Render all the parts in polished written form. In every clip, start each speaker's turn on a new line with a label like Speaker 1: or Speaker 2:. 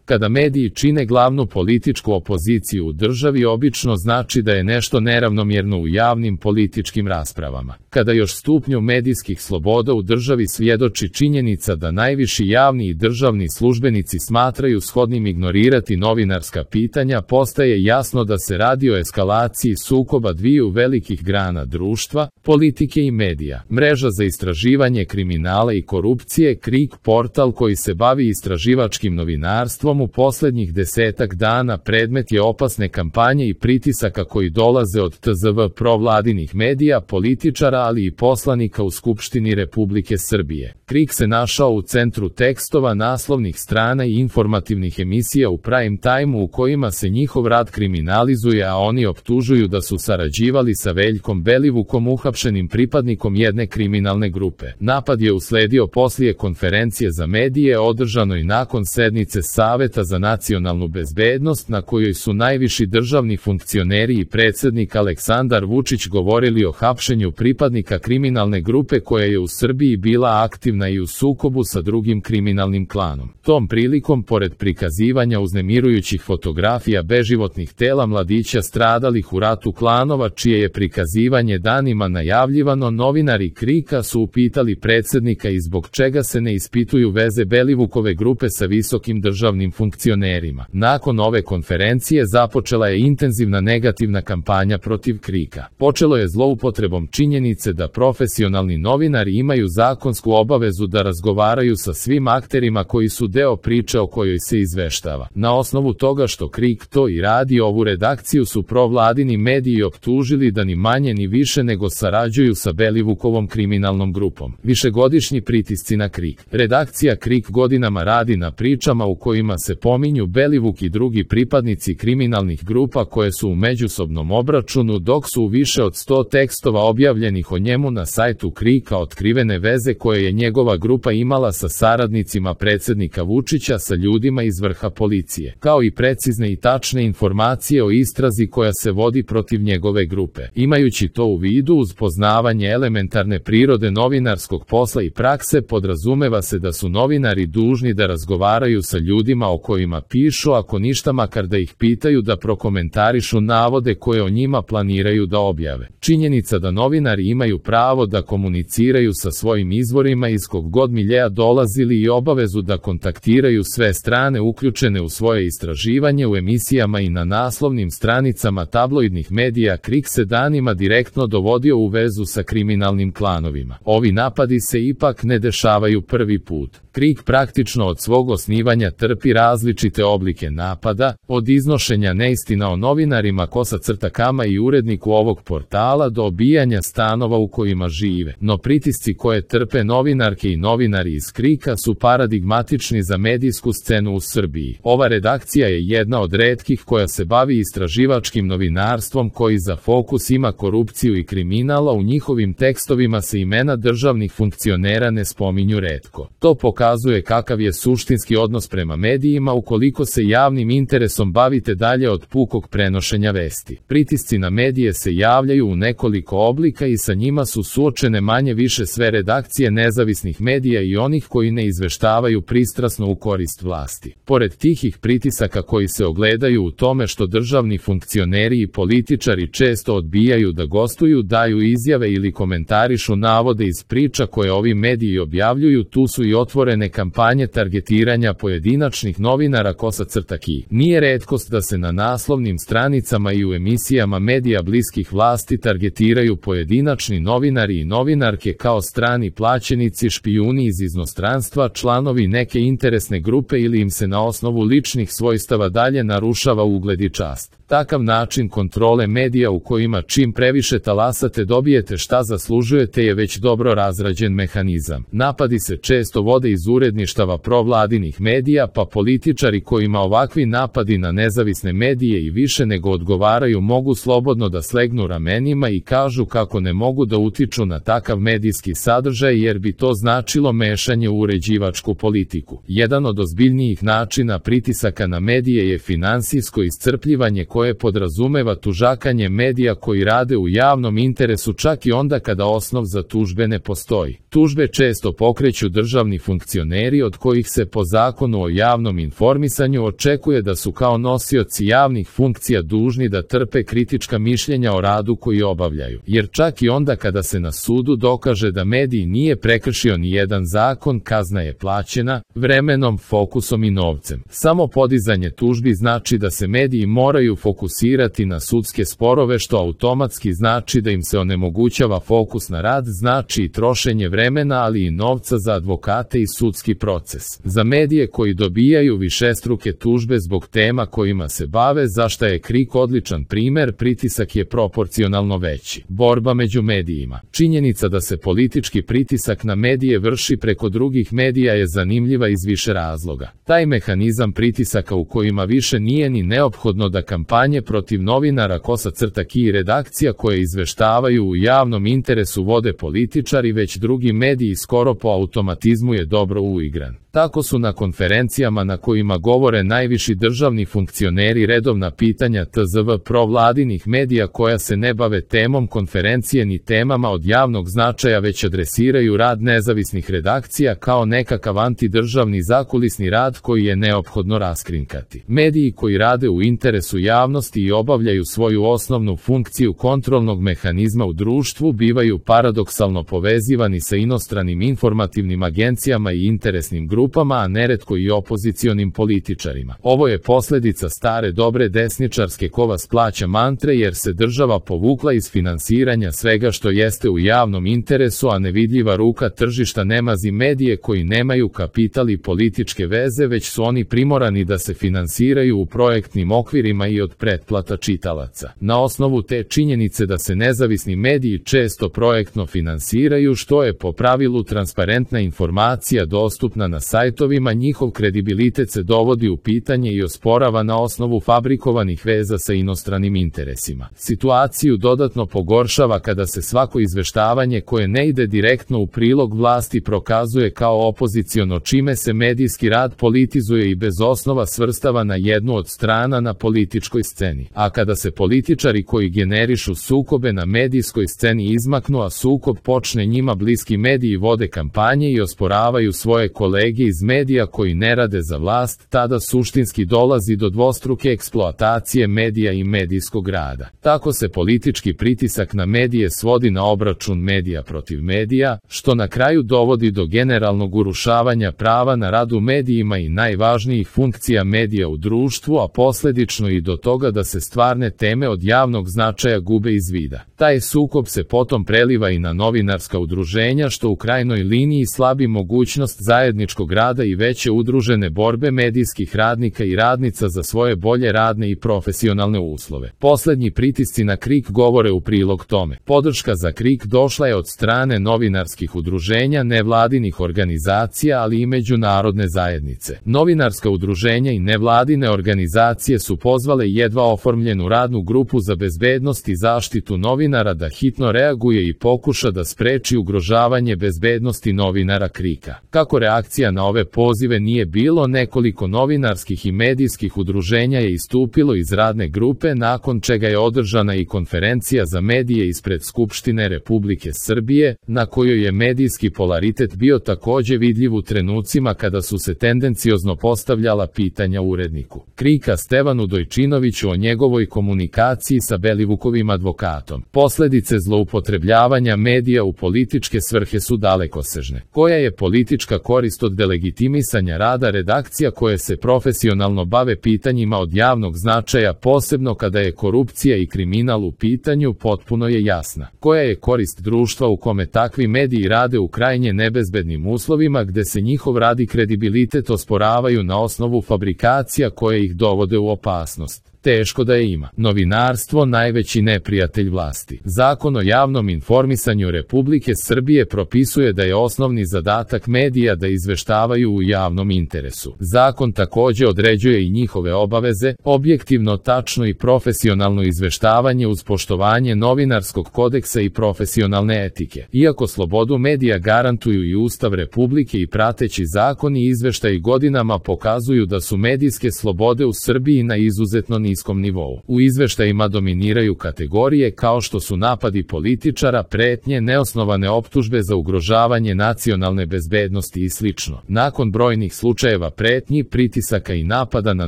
Speaker 1: Kada mediji čine glavnu političku opoziciju u državi, obično znači da je nešto neravnomjerno u javnim političkim raspravama. Kada još stupnju medijskih sloboda u državi svjedoči činjenica da najviši javni i državni službenici smatraju shodnim ignorirati novinarska pitanja, postaje jasno da se radi o eskalaciji sukoba dviju velikih grana društva, politike i medija. Mreža za istraživanje kriminala i korupcije KRIK, portal koji se bavi istraživačkim novinarstvom, u posljednjih 10 dana predmet je opasne kampanje i pritisaka koji dolaze od tzv. Provladinih medija, političara, ali i poslanika u Skupštini Republike Srbije. KRIK se našao u centru tekstova, naslovnih strana i informativnih emisija u prime time u kojima se njihov rad kriminalizuje, a oni optužuju da su sarađivali sa Veljkom Belivukom, uhapšenim pripadnikom jedne kriminalne grupe. Napad je usledio poslije konferencije za medije održanoj nakon sednice Saveta za nacionalnu bezbednost, na kojoj su najviši državni funkcioneri i predsjednik Aleksandar Vučić govorili o hapšenju pripadnika kriminalne grupe koja je u Srbiji bila aktivna i u sukobu sa drugim kriminalnim klanom. Tom prilikom, pored prikazivanja uznemirujućih fotografija beživotnih tela mladića stradalih u ratu klanova, čije je prikazivanje danima najavljivano, novinari KRIK-a su upitali predsjednika i zbog čega se ne ispituju veze Belivukove grupe sa visokim državnim funkcionerima. Nakon ove konferencije započela je intenzivna negativna kampanja protiv KRIK-a. Počelo je zloupotrebom činjenice da profesionalni novinari imaju zakonsku obavezu da razgovaraju sa svim akterima koji su deo priče o kojoj se izveštava. Na osnovu toga što KRIK to i radi, ovu redakciju su provladini mediji optužili da ni manje ni više nego sarađuju sa Belivukovom kriminalnom grupom. Višegodišnji pritisci na KRIK. Redakcija KRIK godinama radi na pričama u kojima se pominju Belivuk i drugi pripadnici kriminalnih grupa koje su u međusobnom obračunu, dok su u više od 100 tekstova objavljenih o njemu na sajtu KRIK-a otkrivene veze koje je njegova grupa imala sa saradnicima predsjednika Vučića, sa ljudima iz vrha policije, kao i precizne i tačne informacije o istrazi koja se vodi protiv njegove grupe. Imajući to u vidu, uz poznavanje elementarne prirode novinarskog posla i prakse, podrazumeva se da su novinari dužni da razgovaraju sa ljudima o kojima pišu, ako ništa makar da ih pitaju da prokomentarišu navode koje o njima planiraju da objave. Činjenica da novinari imaju pravo da komuniciraju sa svojim izvorima iz kog god miljea dolazili i obavezu da kontaktiraju sve strane uključene u svoje istraživanje u emisijama i na naslovnim stranicama tabloidnih medija, KRIK se danima direktno dovodio u vezu sa kriminalnim klanovima. Ovi napadi se ipak ne dešavaju prvi put. KRIK praktično od svog osnivanja trpi različite oblike napada, od iznošenja neistina o novinarima Kosa-Kama i uredniku ovog portala do obijanja stanova u kojima žive. No pritisci koje trpe novinarke i novinari iz KRIK-a su paradigmatični za medijsku scenu u Srbiji. Ova redakcija je jedna od retkih koja se bavi istraživačkim novinarstvom koji za fokus ima korupciju i kriminala. U njihovim tekstovima se imena državnih funkcionera ne spominju retko. To pokazuje kakav je suštinski odnos prema medijima ukoliko se javnim interesom bavite dalje od pukog prenošenja vesti. Pritisci na medije se javljaju u nekoliko oblika i sa njima su suočene manje više sve redakcije nezavisnih medija i onih koji ne izveštavaju pristrasno u korist vlasti. Pored tihih pritisaka koji se ogledaju u tome što državni funkcioneri i političari često odbijaju da gostuju, daju izjave ili komentarišu navode iz priča koje ovi mediji objavljuju, tu su i otvorene kampanje targetiranja pojedinačnih novinara Kosa-Ki. Nije retkost da se na naslovnim stranicama i u emisijama medija bliskih vlasti targetiraju pojedinačni novinari i novinarke kao strani plaćenici, špijuni iz inostranstva, članovi neke interesne grupe ili im se na osnovu ličnih svojstava dalje narušava ugled i čast. Takav način kontrole medija u kojima čim previše talasate dobijete šta zaslužujete je već dobro razrađen mehanizam. Napadi se često vode iz uredništava provladinih medija, pa političari kojima ovakvi napadi na nezavisne medije i više nego odgovaraju mogu slobodno da slegnu ramenima i kažu kako ne mogu da utiču na takav medijski sadržaj jer bi to značilo mešanje u uređivačku politiku. Jedan od ozbiljnijih načina pritisaka na medije je finansijsko iscrpljivanje koje podrazumeva tužakanje medija koji rade u javnom interesu čak i onda kada osnov za tužbe ne postoji. Tužbe često pokreću državni funkcioneri od kojih se po zakonu o javnom javnom informisanju očekuje da su kao nosioci javnih funkcija dužni da trpe kritička mišljenja o radu koji obavljaju, jer čak i onda kada se na sudu dokaže da medij nije prekršio ni jedan zakon, kazna je plaćena vremenom, fokusom i novcem. Samo podizanje tužbi znači da se mediji moraju fokusirati na sudske sporove, što automatski znači da im se onemogućava fokus na rad, znači i trošenje vremena, ali i novca za advokate i sudski proces. Za medije koji dobijaju višestruke tužbe zbog tema kojima se bave, za šta je KRIK odličan primer, pritisak je proporcionalno veći. Borba među medijima. Činjenica da se politički pritisak na medije vrši preko drugih medija je zanimljiva iz više razloga. Taj mehanizam pritisaka u kojima više nije ni neophodno da kampanje protiv novinara _ki i redakcija koje izveštavaju u javnom interesu vode političari, već drugi mediji, skoro po automatizmu je dobro uigran. Tako su na konferencijama na kojima govore najviši državni funkcioneri redovna pitanja tzv. Provladinih medija koja se ne bave temom konferencije ni temama od javnog značaja, već adresiraju rad nezavisnih redakcija kao nekakav antidržavni zakulisni rad koji je neophodno raskrinkati. Mediji koji rade u interesu javnosti i obavljaju svoju osnovnu funkciju kontrolnog mehanizma u društvu bivaju paradoksalno povezivani sa inostranim informativnim agencijama i interesnim grupama, a neretko i opozicionim političarima. Ovo je posljedica stare dobre desničarske ko vas plaća mantre, jer se država povukla iz finansiranja svega što jeste u javnom interesu, a nevidljiva ruka tržišta ne mazi medije koji nemaju kapital i političke veze, već su oni primorani da se finansiraju u projektnim okvirima i od pretplata čitalaca. Na osnovu te činjenice da se nezavisni mediji često projektno finansiraju, što je po pravilu transparentna informacija dostupna na sajtovima, njihov kredibilitet se dovodi u pitanje i osporava na osnovu fabrikovanih veza sa inostranim interesima. Situaciju dodatno pogoršava kada se svako izveštavanje koje ne ide direktno u prilog vlasti prokazuje kao opoziciono, čime se medijski rad politizuje i bez osnova svrstava na jednu od strana na političkoj sceni. A kada se političari koji generišu sukobe na medijskoj sceni izmaknu, a sukob počne, njima bliski mediji vode kampanje i osporavaju svoje kolege iz medija koji ne rade za vlast, tada suštinski dolazi do dvostruke eksploatacije medija i medijskog rada. Tako se politički pritisak na medije svodi na obračun medija protiv medija, što na kraju dovodi do generalnog urušavanja prava na rad u medijima i najvažnijih funkcija medija u društvu, a posljedično i do toga da se stvarne teme od javnog značaja gube iz vida. Taj sukob se potom preliva i na novinarska udruženja, što u krajnjoj liniji slabi mogućnost zajedničkog rada i veće udružene borbe medijskih radnika i radnica za svoje bolje radne i profesionalne uslove. Posljednji pritisci na KRIK govore u prilog tome. Podrška za KRIK došla je od strane novinarskih udruženja, nevladinih organizacija, ali i međunarodne zajednice. Novinarska udruženja i nevladine organizacije su pozvale jedva oformljenu radnu grupu za bezbednost i zaštitu novinara da hitno reaguje i pokuša da spreči ugrožavanje bezbednosti novinara KRIK-a. Kako reakcija na ove pozive nije bilo, nekoliko novinarskih i medijskih udruženja je istupilo iz radne grupe, nakon čega je održana i konferencija za medije ispred Skupštine Republike Srbije, na kojoj je medijski polaritet bio takođe vidljiv u trenucima kada su se tendenciozno postavljala pitanja uredniku KRIK-a Stevanu Dojčinoviću o njegovoj komunikaciji sa Belivukovim advokatom. Posledice zloupotrebljavanja medija u političke svrhe su dalekosežne. Koja je politička korist od delegitimisanja rada redakcija koje se profesionalno bave pitanjima od javnog značaja, posebno kada je korupcija i kriminal u pitanju, potpuno je jasna. Koja je korist društva u kome takvi mediji rade u krajnje nebezbednim uslovima, gde se njihov rad i kredibilitet osporavaju na osnovu fabrikacija koje ih dovode u opasnost? Teško da je ima. Novinarstvo najveći neprijatelj vlasti. Zakon o javnom informisanju Republike Srbije propisuje da je osnovni zadatak medija da izveštavaju u javnom interesu. Zakon takođe određuje i njihove obaveze, objektivno, tačno i profesionalno izveštavanje uz poštovanje novinarskog kodeksa i profesionalne etike. Iako slobodu medija garantuju i Ustav Republike i prateći zakoni i izveštaji godinama pokazuju da su medijske slobode u Srbiji na izuzetno niskom nivou. U izveštajima dominiraju kategorije kao što su napadi političara, pretnje, neosnovane optužbe za ugrožavanje nacionalne bezbednosti i sl. Nakon brojnih slučajeva pretnji, pritisaka i napada na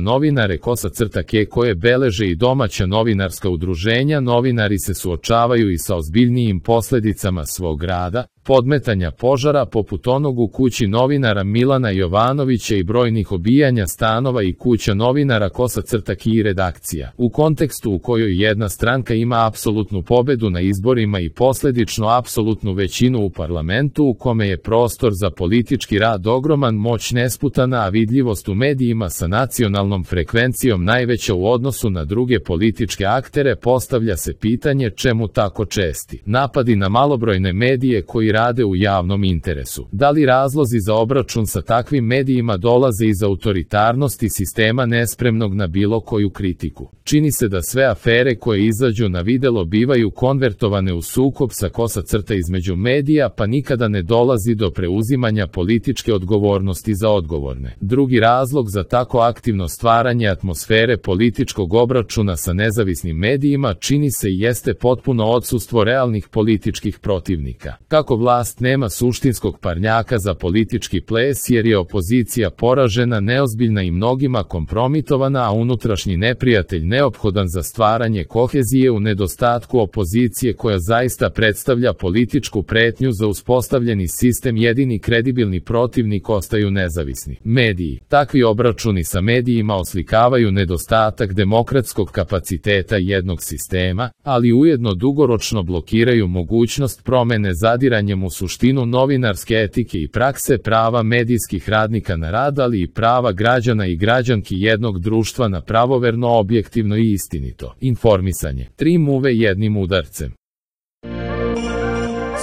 Speaker 1: novinare _ke koje beleže i domaća novinarska udruženja, novinari se suočavaju i sa ozbiljnijim posledicama svog rada, podmetanja požara poput onog u kući novinara Milana Jovanovića i brojnih obijanja stanova i kuća novinara _ki i redakcija. U kontekstu u kojoj jedna stranka ima apsolutnu pobedu na izborima i posledično apsolutnu većinu u parlamentu, u kome je prostor za politički rad ogroman, moć nesputana, a vidljivost u medijima sa nacionalnom frekvencijom najveća u odnosu na druge političke aktere, postavlja se pitanje čemu tako česti napadi na malobrojne medije koji rade u javnom interesu. Da li razlozi za obračun sa takvim medijima dolaze iz autoritarnosti sistema nespremnog na bilo koju kritiku? Čini se da sve afere koje izađu na videlo bivaju konvertovane u sukob sa _ između medija, pa nikada ne dolazi do preuzimanja političke odgovornosti za odgovorne. Drugi razlog za tako aktivno stvaranje atmosfere političkog obračuna sa nezavisnim medijima čini se i jeste potpuno odsustvo realnih političkih protivnika. Kako vlast nema suštinskog parnjaka za politički ples jer je opozicija poražena, neozbiljna i mnogima kompromitovana, a unutrašnji neprijatelj neophodan za stvaranje kohezije, u nedostatku opozicije koja zaista predstavlja političku pretnju za uspostavljeni sistem, jedini kredibilni protivnik ostaju nezavisni mediji. Takvi obračuni sa medijima oslikavaju nedostatak demokratskog kapaciteta jednog sistema, ali ujedno dugoročno blokiraju mogućnost promene zadiranjem u suštinu novinarske etike i prakse, prava medijskih radnika na rad, ali i prava građana i građanki jednog društva na pravoverno, objektivno i istinito informisanje. 3 muve jednim udarcem.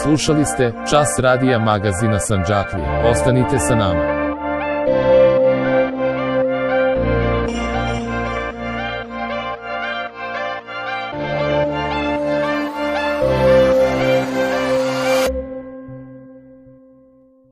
Speaker 1: Slušali ste Čas radija magazina Sandžaklija. Ostanite sa nama.